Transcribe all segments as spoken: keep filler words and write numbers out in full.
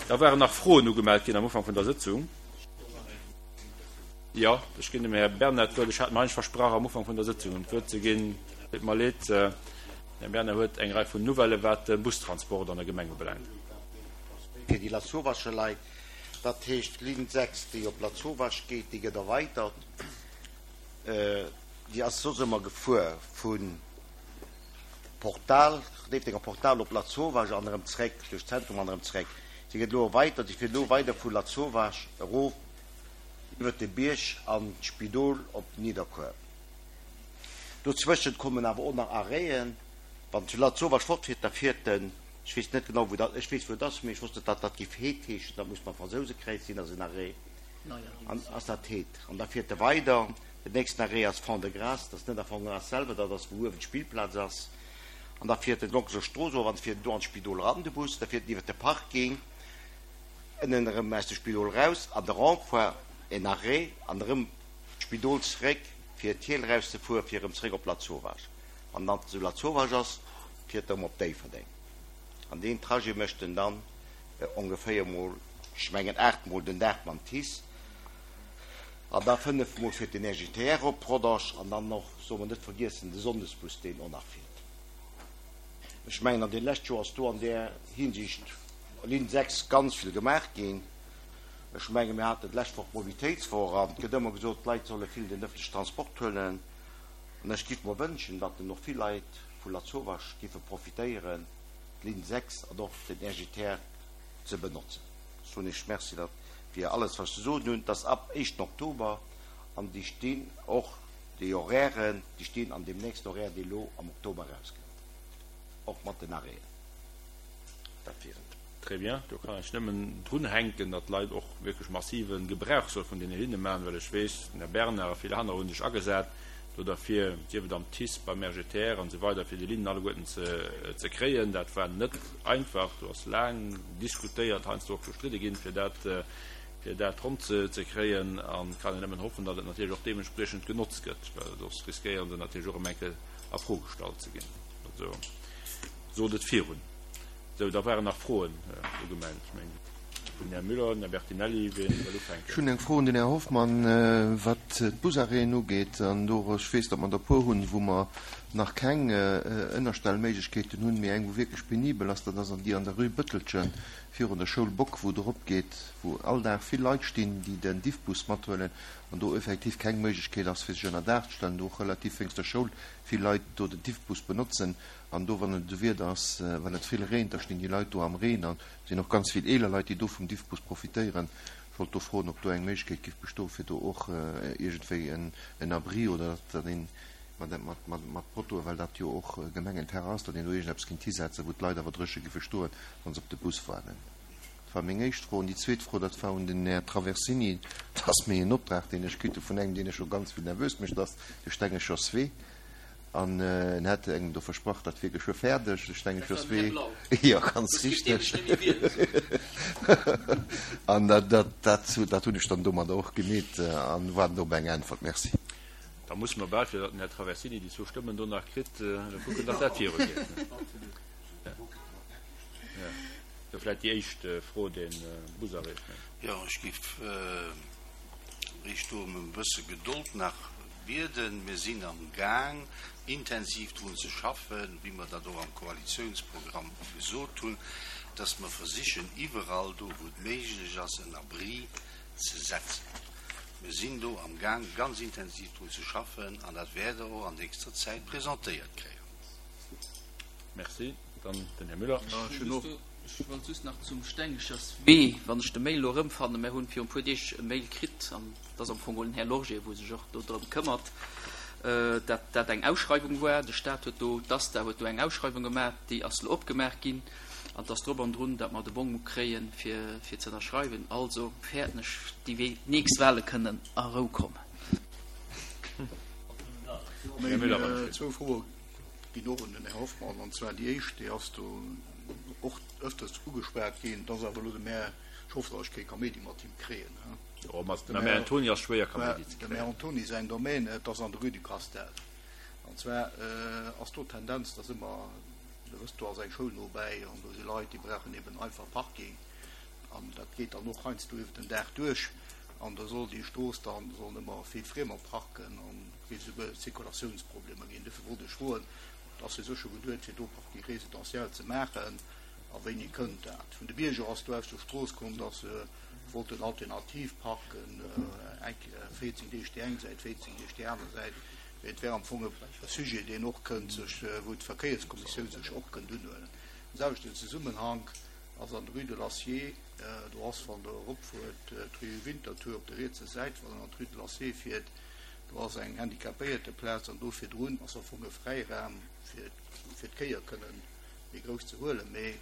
Da waren nach Froen ugemellt ginn am Ufank vun der Sëtzung. Jo, ech ginn dem Här Bernard d'Wuert. Ech hat mer eigentlech versprach, am Ufank vun der Sëtzung him d'Wuert ze ginn. Deet mer leed. Den Här Bernard huet eng Rei vun Nouvellë wat de Bustransport an der Gemeng ubelaangt. Fir déi Lasauvage Leit, dat heescht d'Linn sechs, déi op Lasauvage geet, déi gëtt erweitert. Déi ass soss ëmmer gefuer vu Portal, Déifferdenger Portal op Lasauvage an erëm zréck, duerch d'Zentrum an erëm zréck. Si gëtt elo erweitert, si fiert elo weider vu Lasauvage erof iwwert de Bierg an d'Spidol op Nidderkuer. Dozwëschent kommen awer och nach Arrêten. Wann zu Lasauvage fortfiert, da fiert en, ech weess net genau wou dat, ech weess wou et ass, mee ech wosst net datt dat géif Heed heeschen, dat muss beim Fransousekräiz sinn, ass en Arrêt. An ass dat Heed. An da fiert e weider. Den nächsten Arrêt ass Fond-de-Gras, dat ass net a Fond-de-Gras selwer, dat ass wou uewen d'Spillplaz ass. An da fiert en d'Lonkeser Strooss erof an fiert en do an d'Spidol eran, de Bus. Da fiert en iwwert de Parking ënnen erëm aus dem Spidol eraus an de Rond-point, en Arrêt, an erëm d'Spidol zeréck fir d'Hiel erauszefueren, fir erëm zeréck op Lasauvage. Wann en dann zu Lasauvage ass, fiert e erëm op Déifferdeng. An deen Trajet mécht en dann ongeféier mol, ech mengen aacht mol den Dag mam TICE. An da fënnef Mol fiert den R G T R op Rodange an dann och, solle mer net vergiessen, de Sonndesbus, deen och nach fiert. Ech mengen, an deene leschte Joer ass do an där Hinsicht, Linn sechs, ganz vill gemaach ginn. Ech mengen, mir haten d'lescht Woch d'Mobilitéitswoch an et gëtt ëmmer gesot, d'Leit solle vill den ëffentlechen Transport huelen. An ech giff mer wënschen, datt en och vill Leit vu Lasauvage giffe profitéieren, d'Linn sechs an och den R G T R ze benotzen. Soen ech Merci, dat wier alles, wat ech ze soen hunn. Et ass ab éischten Oktober an déi stinn och, déi Horairen, déi stinn an deem nächsten Horaire, dee elo am Oktober erauskënnt, och mat den Arrêten. Dat wier et. Très bien. Do kann ech nëmmen drunhänken, datt d'Leit och wierklech massive Gebrauch solle vun deene Linne maachen, well ech weess, den Här Bernard a vill aner hu sech agesat do derfir, sief et am TICE, beim R G T R an esou weider, fir déi Linnen alleguerten ze kréien. Dat war net einfach. Do ass laang diskutéiert, heiansdo och gestridde ginn, fir dat, fir dat ronn ze kréien. An et kann een nëmmen hoffen, datt et natierlech och deementspriechend genotzt gëtt, well soss riskéiere se natierlech och erëm eng Kéier a Fro gestallt ze ginn. Also sot et virun. Sou, da waren nach Froen ugemellt. Ech mengen, den Här Müller, den Här Bertinelli, wien wëll ufänken? Ech hunn eng Fro un den Här Hoffmann, wat d'Busarrêten ugeet. An do, ech weess, datt mer der e puer hunn, wou mer nach keng Ënnerstellméiglechkeeten hunn, mee eng, wou wierklech penibel ass, dat ass an déi an der Rue Bëttelchen virun der Schoul Bock, wou et eropgeet, wou all Dag vill Leit stinn, déi den Diffbus mathuelen an do effektiv keng Méiglechkeet ass, fir sech ënnerdaach ze stellen, do och relativ wéinst der Schoul vill Leit do den Diffbus benotzen. An do, wann et esou Wieder ass, wann et vill reent, da stinn déi Leit do am Reen. An et sinn och ganz vill eeler Leit, déi do vum Diffbus profitéieren. Ech wollt do froen, ob do eng Méiglechkeet giff bestoen, fir do och iergendwéi en Abri oder datt een mat Poteauen, well dat jo och Gemengenterrain ass, datt een do iergendeppes kéint hisetzen, wou d'Leit awer dréche giffe stoen, wa se op de Bus waarden. Dat war meng éischt Fro. An déi zweet Fro, dat war un den Här Traversini. Dat ass méi en Optrag, deen ech kritt hu vun engem, deen ech scho ganz vill nervös mécht, dat ass de Stengecher Swee. An en hätt engem do versprach, dat wier geschwë fäerdeg, de Stengecher Swee. Jo, ganz richteg. An dat, dat, dat hunn ech dann domadder och gemeet an waarden do op eng Äntwert. Merci. Da musse mer bal, fir datt den Här Traversini déi zwou Stëmmen do nach kritt, kucken, datt dat virugeet. Jo, vläicht déi éischt Fro, dee Busarrêt. Jo, ech géif Iech do ëm e bësse Gedold nach bieden. Mir sinn am Gaang, intensiv drun ze schaffen, wéi mer dat och am Koalitionsprogramm gesot hunn, dass mer versichen, iwwerall do, wou et méiglech ass, en Abri ze setzen. Mir sinn do am Gaang, ganz intensiv drun ze schaffen, an dat wäert Der och an nächster Zäit presentéiert kréien. Merci. Dann den Här Müller. Ech wollt just nach zum Stengecherswee, wann ech de Mail elo erëmfannen, mir hunn virun e puer Deeg e Mail kritt, an et ass am Fong geholl den Här Lorgé, wou sech och do drëm këmmert, dat dat eng Ausschreiwung war. De Stat huet do, d'ASTA huet do eng Ausschreiwung gemaach, déi ass elo opgemaach ginn, an et ass drop an drun, datt mer de Bong kréien, fir, fir ze ënnerschreiwen. Also fäerten ech, déi nächst Wahle kënnen a Rou kommen. Här Müller. Zwou Froe ginn och un den Här Hoffmann, an zwar déi éischt, déi ass do och ëfters ugeschwat ginn, et ass awer elo dem Här, ech hoffen, datt ech kee Kaméidi mat him kréien, Jo, mat dem Här Antoni ass schwéier Kaméidi ze kréien. Dem Här Antoni säin Domaine, et ass an der Rue du Castel. An zwar ass do d'Tendenz, datt ëmmer, Der wësst, do ass eng Schoul nobäi an do si Leit, déi brauchen eben einfach Parking. An An dat geet dann och heiansdo iwwer den Dag duerch. An da soll déi Strooss dann, sollen ëmmer vill Friemer parken an et géif esouguer Zirkulatiounsproblemer ginn. Dofir wollt ech froen, et ass jo sécher geduet fir do Parking résidentiel ze maachen, a wéini kënnt dat? Vun de Bierger ass do aus der Strooss komm, datt se wollten alternativ parken, eng véierzéng Deeg déi eng Säit, véierzéng Deeg déi aner Säit. Mee et wär am Fong e Sujet, deen och kënnt sech, wou d'Verkéierskommissioun sech och kënnt unhuelen. Am selwechten Zesummenhank ass an der Rue de l'Acier, do ass, wann Der eropfuert, d'Rue Winterthur op der rietser Säit, wann een an d'Rue de l'Acier fiert, do ass eng Handicapéierteplaz an do virdrun ass am Fong e Fräiraum, fir, fir d'Kéier kënnen méi grouss ze huelen. Mee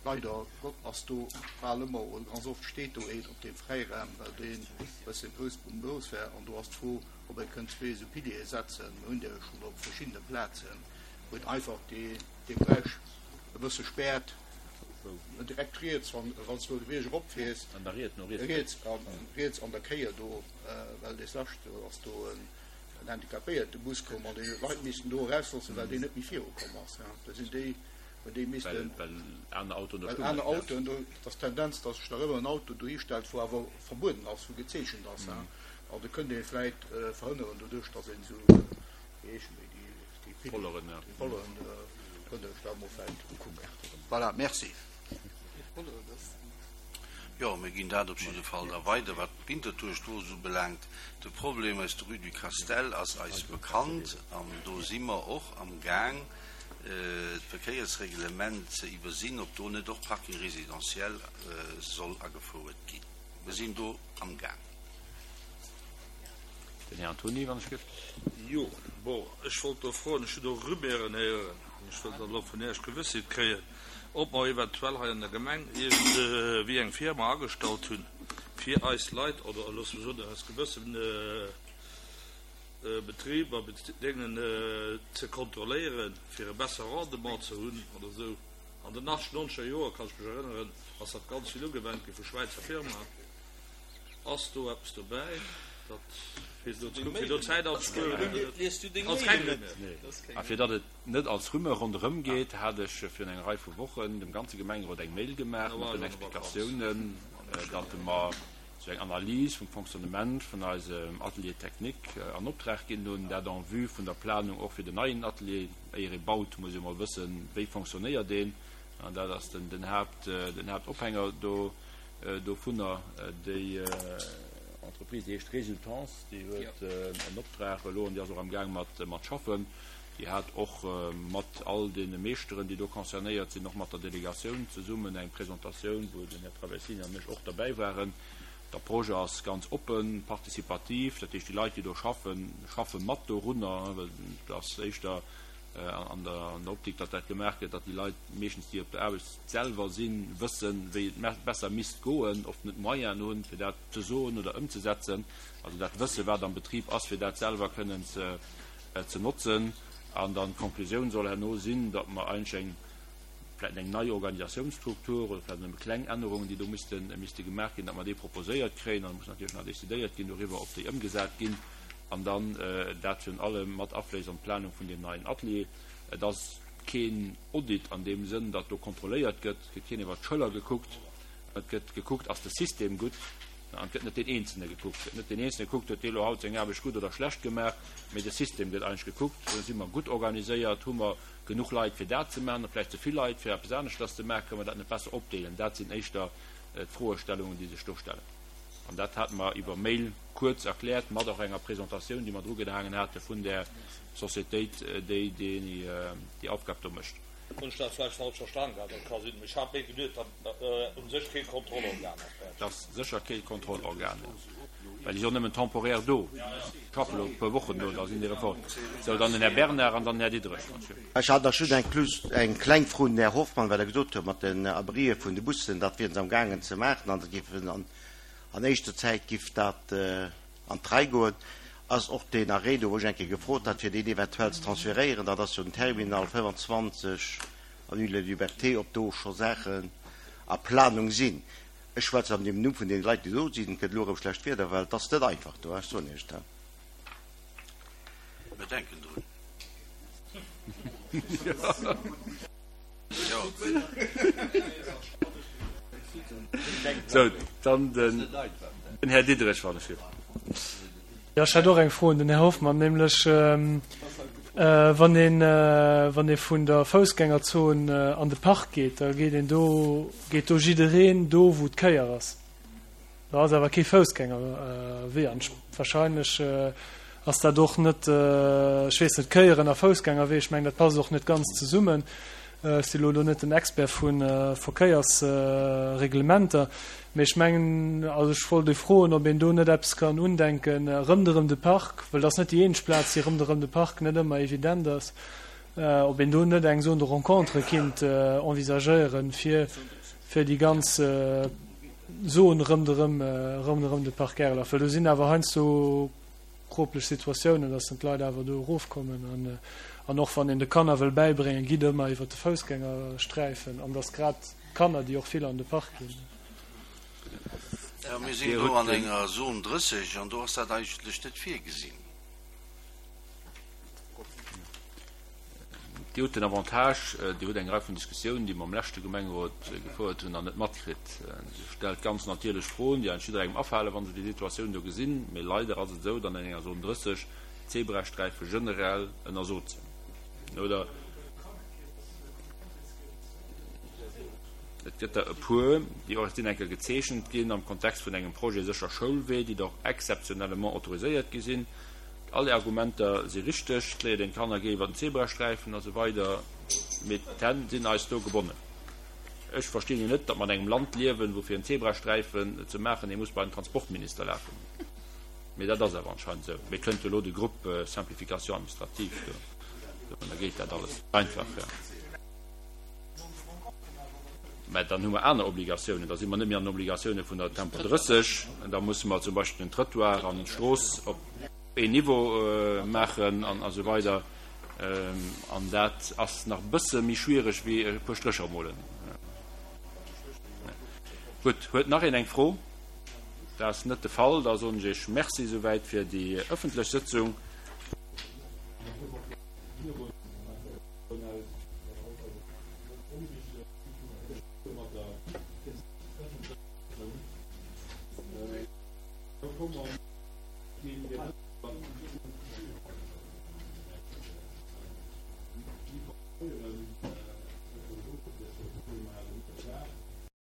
leider Gott ass do bal ëmmer oder ganz oft steet do een op deem Fräiraum, well deen e bësse grouss grouss wär. An do ass d'Fro, ob ee kënnt zwee esou Piliere setzen. Mir hunn där jo schonn op verschiddene Plazen, wou et einfach dee, dee Beräich e bësse späert. Direkt riets, wann, wann s du de Bierg eropfiers. An der Riet, no riets. Riets, an, riets an der Kéier do, well des Lescht do ass do en, en handicapéierte Bus komm an déi Leit missten do erausloossen, well deen net méi virukomm ass. Da sinn déi, hunn déi missten. Well, well aner Autoen do Well stoungen. aner Autoen do, et ass d'Tendenz, dass sech nach ëmmer en Auto dohi stellt, wou awer verbueden ass, wou gezeechent ass. An do kënnt ee vläit verhënneren doduerch, dass een esou, wéi heeschen déi, déi, déi Pilieren, Polleren, ja. déi Polleren, kënnt Der lech dat emol vläit ukucken. Voilà, merci. Jo, mir ginn dat op jidde Fall da weider. Wat d'Winterthur-Strooss ubelaangt, de Problem aus der Rue du Castel ass eis bekannt an do si mer och am Gaang, d'Verkéiersreglement ze iwwersinn, ob do net och Parking résidentiel soll agefouert ginn. Mir sinn do am Gaang. Den Här Antony, wann ech gëft. Jo, bon, ech wollt do froen, ech hunn do Rumeuren héieren an ech wëll dann elo vun Iech Gewëssheet kréien, ob mer eventuell hei an der Gemeng iergendwéi eng Firma agestallt hunn, fir eis Leit, oder loosse mer soen, eis gewëssen Betriber, Déngen ze kontrolléieren, fir e besser Rendement ze hunn oder esou. An den acht-, nonzeger Joer, kann ech mech erënneren, ass dat ganz vill ugewennt gi vu Schwäizer Firmaen. Ass do eppes dobäi, dat fir do ze kucken, fir do Zäit anzespueren oder net? Ass keng Rumeur. A fir datt et net als Rumeur ronderëm geet, hat ech virun enger Rei vu Wochen dem ganze Gemengerot eng Mail gemaach mat den Explikatiounen, datt mer esou eng Analys vum Fonctionnement vun eisem Atelier technique an Optrag ginn hunn, dat en vue vun der Planung och fir den neien Atelier. Éier ee baut, muss ee mol wëssen, wéi fonctionnéiert een. An dat ass den Haapt, den Haaptophänger do. Dovunner. Déi Entreprise, déi heescht Résultance, déi huet en Optrag elo an déi ass och am Gaang mat mat schaffen. Déi hat och mat all deene Meeschteren, déi do concernéiert sinn, och mat der Delegatioun zesummen eng Presentatioun, wou den Här Traversini an ech och derbäi waren. D'Approche ass ganz oppen, participativ, dat heescht déi Leit, déi do schaffen, schaffe mat dorunner, well et ass éischter an der Optik, datt dat gemaach gëtt, datt déi Leit meeschtens, déi op der Aarbecht selwer sinn, wëssen, wéi et besser misst goen, oft net d'Moyenen hunn, fir dat ze soen oder ëmzesetzen, also dat Wësse wat am Betrib ass, fir dat selwer kënnen ze notzen. An dann d'Konklusioun soll herno sinn, datt mer eigentlech eng, vläicht eng nei Organisationsstruktur oder vläicht nëmme kleng Ännerungen, déi do misste gemaach ginn, datt mer déi proposéiert kréien. An da muss natierlech nach decidéiert ginn doriwwer, ob déi ëmgesat ginn. An dann dat virun allem mat afléisst an d'Planung vun deem neien Atelier. Et ass keen Audit an deem Sënn, datt do kontrolléiert gëtt. Et gëtt keen iwwert d'Schëller gekuckt. Et gëtt gekuckt, ass de System gutt? An et gëtt net deen Eenzelne gekuckt. Et gëtt net deen Eenzelne gekuckt, huet dee lo haut seng Aarbecht gutt oder schlecht gemaach, mee de System gëtt eigentlech gekuckt. Si mer gutt organiséiert? Hu mer genuch Leit, fir dat ze maachen? Oder vläicht ze vill Leit, fir eppes aneschters ze maachen? Kënne mer dat net besser opdeelen? Dat sinn éischter d'Froestellungen, déi sech do stellen. An dat hate mer iwwer Mail kuerz erkläert, mat och enger Presentatioun, déi mer drugehaangen hate vun där Societéit, déi déi Aufgab do mécht. Hunn ech dat vläicht falsch verstan gehat? Dat ka sinn. Mee ech hat méi geduet, datt et u sech kee Kontrollorgan ass. Et ass sécher kee Kontrollorgan, well déi si och nëmmen temporaire do, schaffe elo e puer Wochen do, da sinn déi erëm fort. Sou, dann den Här Bernard an dann den Här Diderich. Ech hat nach just eng kleng Fro un den Här Hoffmann, well e gesot huet, mat den Abrien vun de Bussen, dat wieren se amgaangen ze maachen an dat géifen an An éischter Zäit giff dat an d'Rei goen. Ass och deen Arrêt do, wou ech eng Kéier gefrot hat, fir deen eventuell ze transféréieren, dat ass jo den Terminal fënnefanzwanzeg avenue de la Liberté, ob do scho Saachen a Planung sinn. Ech schwätzen an dem Numm vun deene Leit, déi do sinn. Et gëtt elo erëm schlecht Wieder, well et ass net einfach do, ech soen Iech dat. Mir denken drun. Sou, dann den Här Diderich, wann ech. Jo, ech hätt och eng Fro un den Här Hoffmann, nämlech wann een, wann ee vun der Foussgängerzon an de Park geet, da geet een do, geet do jiddereen do wou d'Kéier ass. Do ass awer kee Foussgängerwee an wahrscheinlech ass dat och net, ech weess net, Kéieren a Foussgängerwee, ech mengen dat passt och net ganz zesummen. Ech si lo do net den Expert vu Verkéiersreglementer, mee ech mengen, also ech wollt ee froen, ob een do net eppes kann undenken rëmderëm de Park, well dat ass net déi eenzeg Plaz, déi rëmderëm de Park net ëmmer evident ass, ob een do net eng Zone de rencontre kinnt envisagéieren, fir fir déi ganz Zon rëmderëm rëmderëm de Park Erlach, well do sinn awer heiansdo kroplech Situatiounen, dass dann d'Leit awer do erofkommen an an och wann een de Kanner wëll bäibréngen, gitt ëmmer iwwert de Foussgängersträifen an dass grad d'Kanner, déi och vill an de Park ginn. Jo, mir sinn do an enger Zone drësseg an do ass dat eigentlech net virgesinn. Dir hutt den Avantage, Dir hutt eng Rei vun Diskussiounen, déi mer am leschte Gemengerot gefouert hunn, nach net matkritt. Dir stellt ganz natierlech Froen, déi eigentlech jidderengem afalen, wa se déi Situatioun do gesinn. Mee leider ass et esou, datt an enger Zone drësseg d'Zebrasträife generell ënnersot sinn, oder? Et gëtt der e puer, déi och sinn eng Kéier gezeechent ginn am Kontext vun engem Projet Sécher Schoulwee, déi der och exceptionnellement autoriséiert gi sinn. All Är Argumenter si richteg, et léiert een d'Kanner géi iwwer den Zebrasträifen a sou weider, mee d'Hänn sinn eis do gebonnen. Ech verstinn jo net, datt mer an engem Land liewen, wou fir en Zebrasträifen ze maachen ee muss bei den Transportminister lafen. Mee dat ass awer anscheinend esou. Mee kënnt jo elo de Groupe Simplification administrative do, da geet dat alles einfach. Mä dann hu mer aner Obligatiounen, da si mer net méi an den Obligatioune vun der Tempo drësseg. Da musse mer zum Beispill den Trëttoir an d'Strooss op een Niveau maachen an esou weider. An dat ass nach e bësse méi schwiereg wéi e puer Strécher molen. Gutt, huet nach een eng Fro? Dat ass net de Fall. Da soen ech Iech Merci souwäit fir déi ëffentlech Sëtzung.